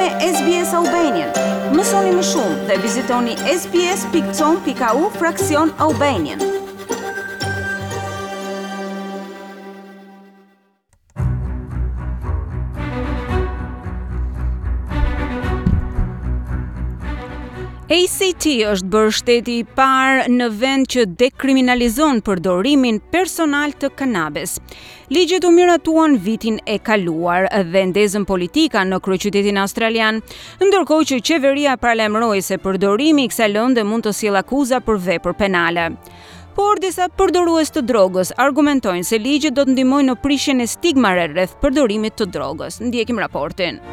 me SBS Albanian. Mësoni më shumë dhe vizitoni sbs.com.au fraksion Albanian. ACT është bërë shteti i parë në vend që dekriminalizon përdorimin personal të kanabis. Ligjet u miratuan vitin e kaluar dhe ndezën politika në kryeqytetin australian, ndërkohë që qeveria paralajmëroi se përdorimi i kësaj lënde mund të sjellë akuza për vepër penale. Por disa përdorues të drogës argumentojnë se ligjet do të ndihmojnë në prishjen e stigmave rreth përdorimit të drogës. Ndjekim raportin.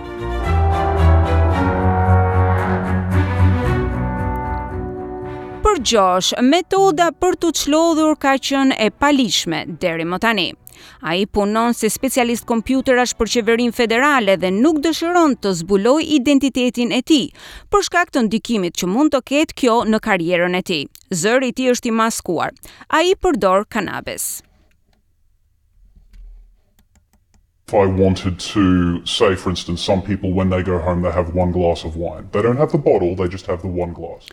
Për Josh, metoda për t'u çlodhur ka qenë e paligjshme deri më tani. Ai punon si specialist kompjuterash për qeverinë federale dhe nuk dëshiron të zbulojë identitetin e tij, për shkak të ndikimit që mund të ketë kjo në karrierën e tij. Zëri i tij është i maskuar. Ai përdor kanabis. If I wanted to say, for instance, some people when they go home they have one glass of wine. They don't have the bottle, they just have the one glass.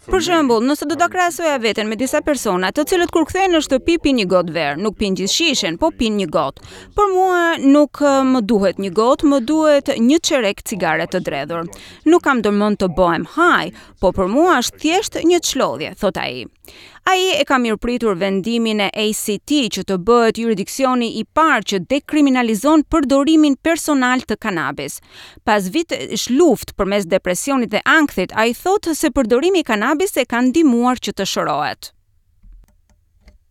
Për shembull, nëse do ta krahasoja veten me disa persona, të cilët kur kthehen në shtëpi pinë një gotë verë, nuk pinë gjithë shishen, po pinë një gotë. Për mua nuk më duhet një gotë, më duhet një çerek cigare të dredhur. Nuk kam ndërmend të bëhem high, po për mua është thjesht një çlodhje, thotë ai. Ai e ka mirëpritur vendimin e ACT që të bëhet juridiksioni i parë që dekriminalizon përdorimin personal të kanabis. Pas vitesh luftë përmes depresionit dhe ankthit, ai thotë se përdorimi i kanabis e ka ndihmuar që të shërohet.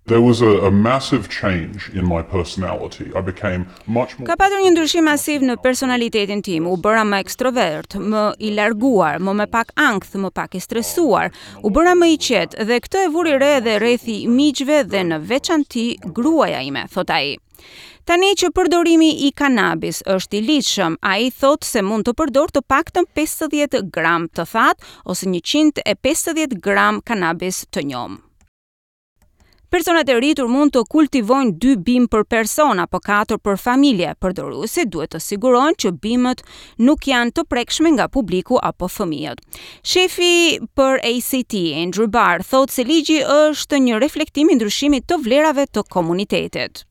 There was a, a massive change in my personality. I became much more Ka patur një ndryshim masiv në personalitetin tim. U bëra më ekstrovert, më i larguar, më me pak ankth, më pak i stresuar. U bëra më i qetë dhe këtë e vuri re edhe rrethi i miqve dhe në veçanti gruaja ime, thotë ai. Tani që përdorimi i kanabis është i ligjshëm, ai thotë se mund të përdorë të paktën 50 gram të thatë ose 150 gram kanabis të njomë. Personat e rritur mund të kultivojnë dy bimë për person apo katër për familje. Përdoruesit duhet të sigurohen që bimët nuk janë të prekshme nga publiku apo fëmijët. Shefi për ACT, Andrew Barr, thotë se ligji është një reflektim i ndryshimit të vlerave të komunitetit.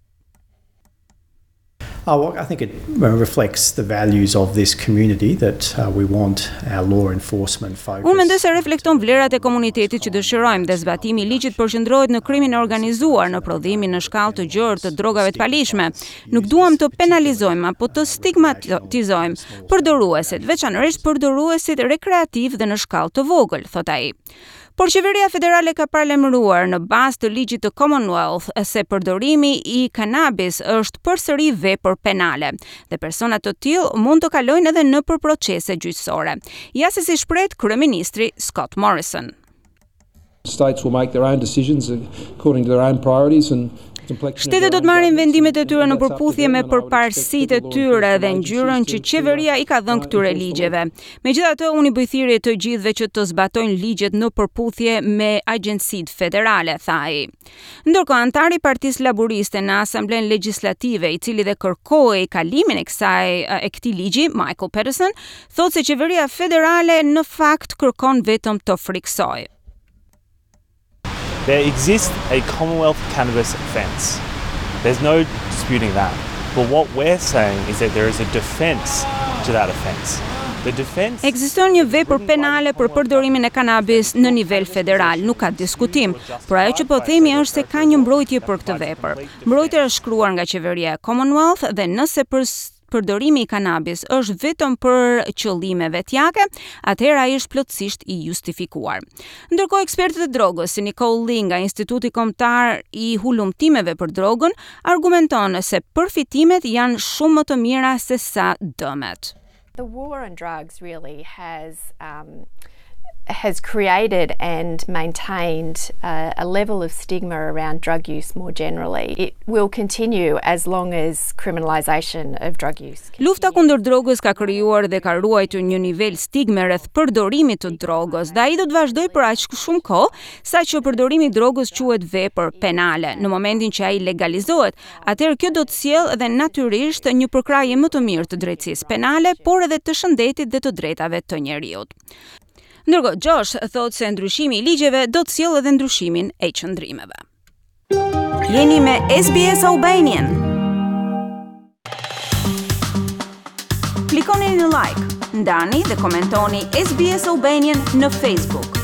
Oh, well, I think it reflects the values of this community that uh, we want our law enforcement focus. Unë mendoj se reflekton vlerat e komunitetit që dëshirojmë dhe zbatimi i ligjit përqendrohet në krimin e organizuar, në prodhimin në shkallë të gjerë të drogave të paligjshme. Nuk duam të penalizojmë apo të stigmatizojmë përdoruesit, veçanërisht përdoruesit rekreativ dhe në shkallë të vogël, thotë ai. Por qeveria federale ka paralajmëruar në bazë të ligjit të Commonwealth se përdorimi i kanabis është përsëri vepër penale dhe persona të tillë mund të kalojnë edhe nëpër procese gjyqësore. Ja se si shprehet kryeministri Scott Morrison. States will make their own decisions according to their own priorities and Shtetet do të marrin vendimet e tyre në përputhje me përparësitë e tyre dhe ngjyrën që qeveria i ka dhënë këtyre ligjeve. Megjithatë, unë i bëj thirrje të gjithëve që të zbatojnë ligjet në përputhje me agjencitë federale, tha ai. Ndërkohë, anëtari i Partisë Laburiste në Asamblenë Legjislative, i cili dhe kërkoi kalimin e kësaj e këtij ligji, Michael Peterson, thotë se qeveria federale në fakt kërkon vetëm të frikësojë. There exists a Commonwealth cannabis offence. There's no disputing that. But what we're saying is that there is a defence to that offence. The defence Ekziston një vepër penale për përdorimin e kanabis në nivel federal, nuk ka diskutim, por ajo që po themi është se ka një mbrojtje për këtë vepër. Mbrojtja është shkruar nga qeveria e Commonwealth dhe nëse për përdorimi i kanabis është vetëm për qëllime vetjake, atëherë ai është plotësisht i justifikuar. Ndërkohë ekspertët e drogës, si Nicole Lee nga Instituti Kombëtar i Hulumtimeve për Drogën, argumenton se përfitimet janë shumë më të mira se sa dëmet. The war on drugs really has um. has created and maintained a, a level of stigma around drug use more generally. It will continue as long as criminalisation of drug use. Lufta kundër drogës ka krijuar dhe ka ruajtur një nivel stigme rreth përdorimit të drogës dhe ai do të vazhdojë për aq shumë kohë sa që përdorimi i drogës quhet vepër penale. Në momentin që ai legalizohet, atëherë kjo do të sjellë edhe natyrisht një përkrahje më të mirë të drejtësisë penale, por edhe të shëndetit dhe të drejtave të njeriut. Ndërkohë, Josh thotë se ndryshimi i ligjeve do të sjellë edhe ndryshimin e qëndrimeve. Jeni me SBS Albanian. Klikoni në like, ndani dhe komentoni SBS Albanian në Facebook.